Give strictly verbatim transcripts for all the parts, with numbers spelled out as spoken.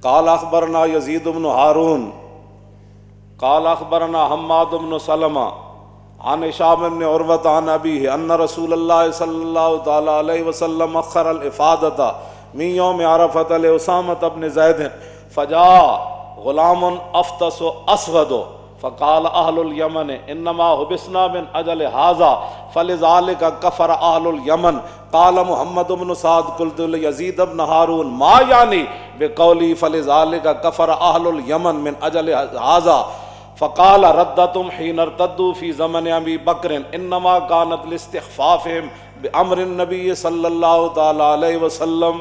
قال اخبرنا يزيد بن هارون قال اخبرنا حماد بن سلمة عن هشام بن عروة عن ابيه ان رسول الله صلى الله تعالى عليه وسلم اخر الافاضة من يوم عرفة لأسامة بن زيد، فجاء غلام افطس اسود، فقال اهل اليمن انما حبسنا من اجل هذا، فلذلك كفر اهل اليمن. قال محمد بن سعد: قلت ليزيد بن هارون: ما يعني بقوله فلذلك كفر اهل اليمن من اجل هذا؟ فقال: ردتهم حين ارتدوا في زمن ابي بكر، انما كانت لاستخفافهم بامر النبي صلى الله تعالى عليه وسلم.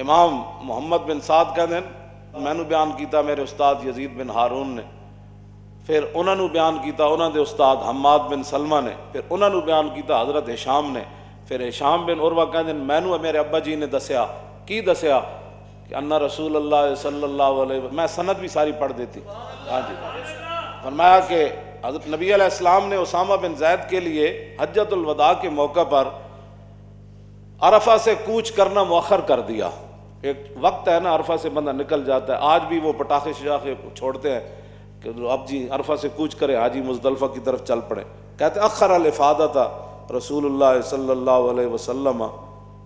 امام محمد بن سعد کہندے نے، مینوں بیان کیتا میرے استاد یزید بن ہارون نے، پھر انہاں نوں بیان کیتا انہاں دے استاد حماد بن سلمہ نے، پھر انہاں نوں بیان کیتا حضرت ہشام نے۔ پھر ہشام بن عروہ کہندے نے، مینوں میرے ابا جی نے دسیا۔ کی دسیا؟ کہ ان رسول اللہ صلی اللہ علیہ وسلم، میں سند بھی ساری پڑھ دیتی۔ ہاں جی۔ فرمایا کہ حضرت نبی علیہ السلام نے اسامہ بن زید کے لیے حجۃ الوداع کے موقع پر عرفہ سے کوچ کرنا مؤخر کر دیا۔ ایک وقت ہے نا، عرفہ سے بندہ نکل جاتا ہے۔ آج بھی وہ پٹاخے شٹاخے چھوڑتے ہیں کہ اب جی عرفہ سے کوچ کریں، آج ہی مزدلفہ کی طرف چل پڑے۔ کہتے، اخر الافاضۃ رسول اللہ صلی اللہ علیہ وسلم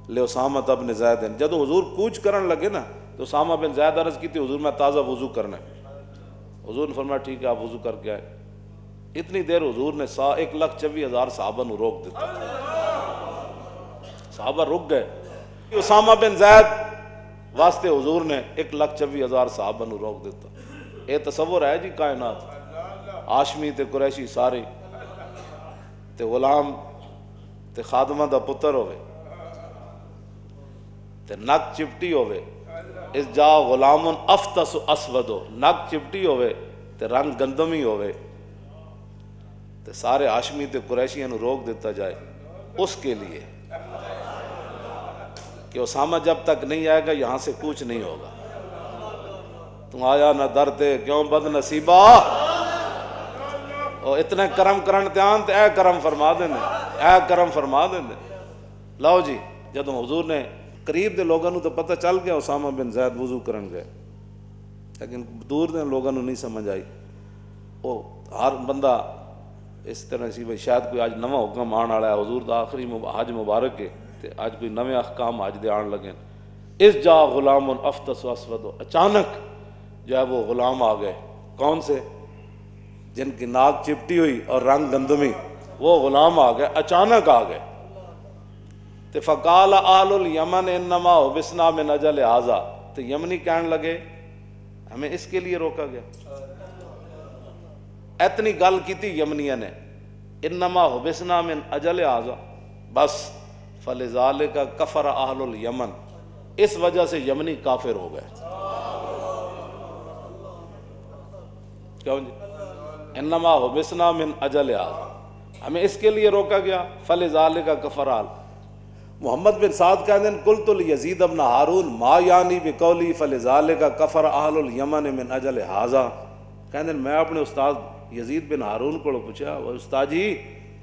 لاسامہ بن زید۔ جب حضور کوچ کرن لگے نا، تو اسامہ بن زید عرض کی تھی، حضور، میں تازہ وضو کرنا ہے۔ حضور نے فرمایا، ٹھیک ہے، آپ وضو کر کے آئے۔ اتنی دیر حضور نے سا ایک لاکھ چوبی ہزار صحابہ نو روک دیتا۔ صحابہ رک گئے۔ اسامہ بن زید واسطے حضور نے ایک لاکھ چوبی ہزار صحابہ نو روک دیتا۔ اے تصور ہے جی کائنات؟ ہاشمی تے قریشی سارے، تے غلام تے خادمہ دا پتر ہوئے، تے نک چپٹی ہوئے۔ اس جا غلام افطس اسود ہو، نک چپٹی ہوئے، تے رنگ گندمی ہوئے، تے سارے ہاشمی تے قریشیاں نو روک دیتا جائے، اس کے لیے کہ اسامہ جب تک نہیں آئے گا، یہاں سے کوچ نہیں ہوگا۔ تو آیا نہ در تے، کیوں بد نصیبا؟ او اتنے کرم کرن تے آن تے اے کرم فرما دیں، اے کرم فرما دیں۔ لو جی، جدوں حضور نے قریب دے لوگاں نوں تو پتہ چل گیا اسامہ بن زید وضو کرن گئے، لیکن دور دے لوگاں نوں نہیں سمجھ آئی۔ او ہر بندہ اس طرح سی بھئی شاید کوئی اج نواں حکم آن والا ہے، حضور دا آخری مب-، حج مبارک ہے، تے اج کوئی نویں احکام حج دے آن لگے۔ اس جا غلام افطس اسود، اچانک جو ہے وہ غلام آ گئے۔ کون سے؟ جن کی ناک چپٹی ہوئی اور رنگ گندمی، وہ غلام آ گئے، اچانک آ گئے۔ تے فقال اہل الیمن انما حبسنا من اجل ھذا، تے یمنی کہن لگے، ہمیں اس کے لیے روکا گیا۔ اتنی گل کیتی یمنیاں نے، انما حبسنا من اجل ھذا، بس، فلذالک کفر اہل الیمن، اس وجہ سے یمنی کافر ہو گئے۔ کیوں جی؟ انما حبسنا من اجل ھذا، ہمیں اس کے لیے روکا گیا، فلذالک کفر اہل۔ محمد بن سعد کہندے نے، قلت لیزید بن ہارون ما یعنی بقولی فلذالک کفر اہل الیمن من اجل ھذا۔ کہندے نے، میں اپنے استاد یزید بن ہارون کو پوچھا، "استاد جی،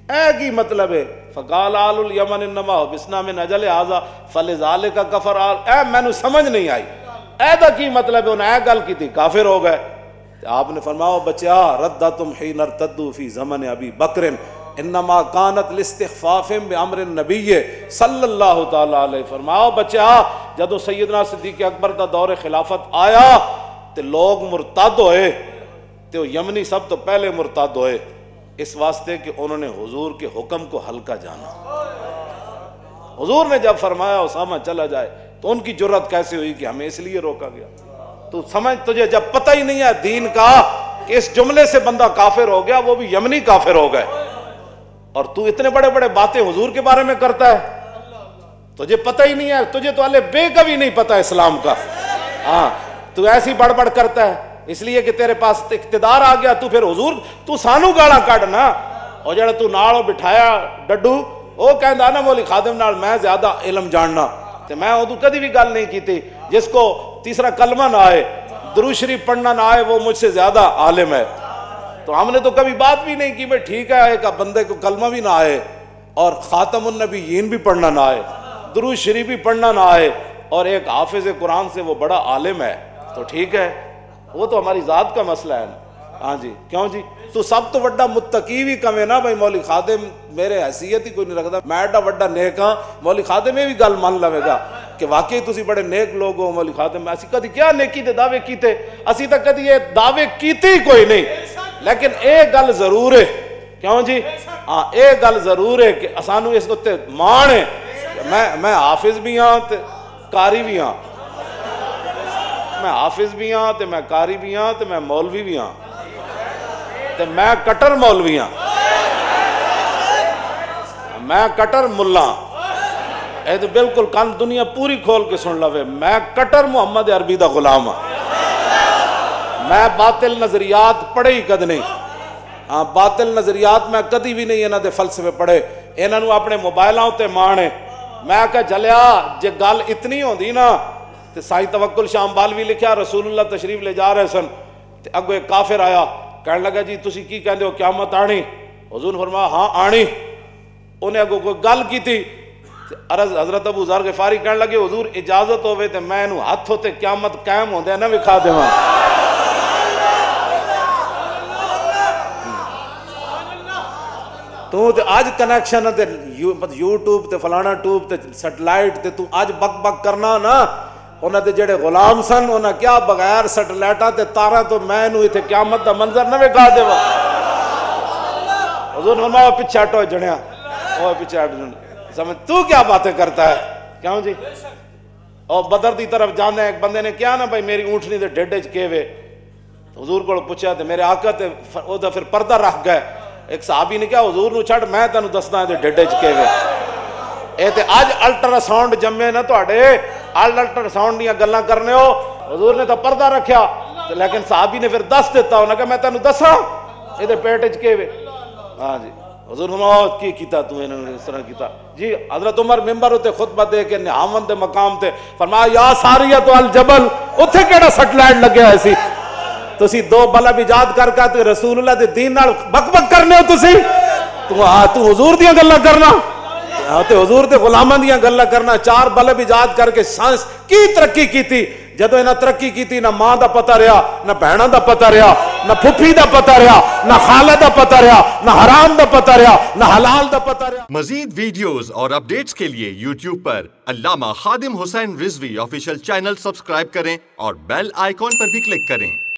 اے کی مطلب ہے؟" فقال اہل الیمن انما حبسنا من اجل ھذا فلذالک کفر اہل، اے مینوں سمجھ نہیں آئی، اے دا کی مطلب ہے؟ انہاں اے گل کیتی، کافر ہو گئے۔ تے آپ نے فرمایا، "او بچیا، ردتم حین ارتدوا فی زمن ابی بکر، انما کانت لاستخفافہم بامر النبی صلی اللہ تعالی علیہ۔" فرمایا، "او بچیا، جدوں سیدنا صدیق اکبر دا دور خلافت آیا تے لوگ مرتد ہوئے، تے او یمنی سب تو پہلے مرتد ہوئے، اس واسطے کہ انہوں نے حضور کے حکم کو ہلکا جانا۔" حضور نے جب فرمایا، "اسامہ چلا جائے"، تو ان کی جرات کیسے ہوئی کہ ہمیں اس لیے روکا گیا؟ تو سمجھ، تجھے جب پتہ ہی نہیں ہے دین کا کہ اس جملے سے بندہ کافر ہو گیا، وہ بھی یمنی کافر ہو گئے، اور تو اتنے بڑے بڑے باتیں حضور کے بارے میں کرتا ہے، تجھے پتہ ہی نہیں ہے، تجھے تو الف بے کا بھی نہیں پتہ اسلام کا۔ ہاں، تو ایسی بڑبڑ کرتا ہے، اس لیے کہ تیرے پاس اقتدار آ گیا، تو پھر حضور، تو سانو گالاں کڈ نا۔ او جڑا تو نال او بٹھایا ڈڈو، او کہندا نا، "مولوی خادم نال میں زیادہ علم جاننا، تے میں اودوں کدی بھی گل نہیں کیتی جس کو تیسرا کلمہ نہ آئے، درود شریف پڑھنا نہ آئے، وہ مجھ سے زیادہ عالم ہے۔" تو ہم نے تو کبھی بات بھی نہیں کی، میں ٹھیک ہے، ایک بندے کو کلمہ بھی نہ آئے اور خاتم النبیین بھی پڑھنا نہ آئے، درود شریف بھی پڑھنا نہ آئے اور ایک حافظ قرآن سے وہ بڑا عالم ہے، تو ٹھیک ہے، وہ تو ہماری ذات کا مسئلہ ہے نا۔ ہاں جی، کیوں جی؟ تو سب تو وڈا متقی بھی کمے نا بھائی، مولوی خادم میرے حیثیت ہی کوئی نہیں رکھدا، میں ایڈا وڈا نیک ہاں، مولوی خادم یہ بھی گل من لوے گا کہ واقعی تسی بڑے نیک لوگ ہو۔ مولوی خادم، اسی کدی کیا نیکی دے دعوے کیتے؟ اسی تاں کدی یہ دعوے کیتے ہی کوئی نہیں، لیکن یہ گل ضرور ہے، کیوں جی؟ ہاں، یہ گل ضرور ہے کہ سانو اس اُتے مان ہے۔ میں میں حافظ بھی ہاں تے قاری بھی ہاں۔ میں حافظ بھی ہاں تے میں قاری بھی ہاں تے میں مولوی بھی ہاں، تے میں کٹر مولوی ہاں، میں کٹر ملا ہاں۔ اے تے بالکل کن دنیا پوری کھول کے سن لوے، میں کٹر محمد عربی دا غلام ہاں۔ میں باطل نظریات پڑھے ہی کد نہیں۔ ہاں، باطل نظریات میں کدی بھی نہیں انہاں دے فلسفے پڑھے۔ انہاں نوں اپنے موبائلاں اُتے مان ہے۔ میں کہا، جلیا، جے گل اتنی ہوندی نا، تے سائیں توکل شاہ امبالوی لکھیا، رسول اللہ تشریف لے جا رہے سن، تے اگوں ایک کافر آیا، کہن لگا، جی تسی کی کہندے ہو، قیامت آنی؟ حضور نے فرمایا، ہاں، آنی۔ انہیں اگوں کوئی گل کیتی، تے عرض، حضرت ابو ذر غفاری کہن لگے، حضور، اجازت ہووے تے میں اینوں ہتھ اُتے قیامت قائم ہوندے نہ وکھا دیواں۔ تو تے اج کنیکشن تے یو-، مطلب یوٹیوب تے فلانا ٹیوب تے سیٹلائٹ تے تو اج بک بک کرنا نا، انہاں دے جڑے غلام سن، انہاں کیا بغیر سیٹلائٹاں تے تاراں تو میں اینوں ایتھے قیامت دا منظر نہ وکھا دیواں۔ حضور نے فرمایا، "او پچھے ہٹو جنیا، او پچھے ہٹ جن۔" سمجھ، تو کیا باتیں کرتا ہے؟ کیوں جی؟ او بدر دی طرف جانا ہے، ایک بندے نے کہا نا، "بھائی، میری اونٹنی دے ڈھڈ وچ کے وے؟" حضور کول پوچھا تے میرے آقا تے ف-، او دا پھر پردہ رکھ گئے۔ ایک صحابی نے کہا، "حضور نو چھڈ، میں تینوں دسدا اے ڈھڈ وچ کے وے۔" اے تے اج الٹرا ساؤنڈ جمے نا تہاڈے، ال-، الٹرا ساؤنڈ دیاں گلاں کرنے ہو۔ حضور نے تاں پردہ رکھیا، تے لیکن صحابی نے پھر دس دتا، انہاں کہا، "میں تینوں دساں اے دے پیٹ وچ کے وے۔" ہاں جی، حضور فرمایا، "کی کیتا تو انہاں نے اس طرح کیتا؟" جی، حضرت عمر ممبر اُتے خطبہ دے کے نہاون دے مقام تے فرمایا، "یا ساریہ تو الجبل، اُتھے کیڑا سیٹلائٹ لگیا ہویا سی؟ تسی دو بلب ایجاد کر کے تے رسول اللہ دے دین نال بک بک کرنے ہو تسی؟ تو آ، تو حضور دیاں گلاں کرنا، آ، تے حضور دے غلاماں دیاں گلاں کرنا، چار بلب ایجاد کر کے سائنس کی ترقی کیتی؟" جدوں انہاں ترقی کیتی، نہ ماں دا پتہ رہیا، نہ بہناں دا پتہ رہیا، نہ پھپھی دا پتہ رہیا، نہ خالہ دا پتہ رہیا، نہ حرام دا پتہ رہیا، نہ حلال دا پتہ رہیا۔ مزید ویڈیوز اور اپڈیٹس کے لیے یوٹیوب پر علامہ خادم حسین رضوی آفیشل چینل سبسکرائب کریں اور بیل آئیکن پر بھی کلک کریں۔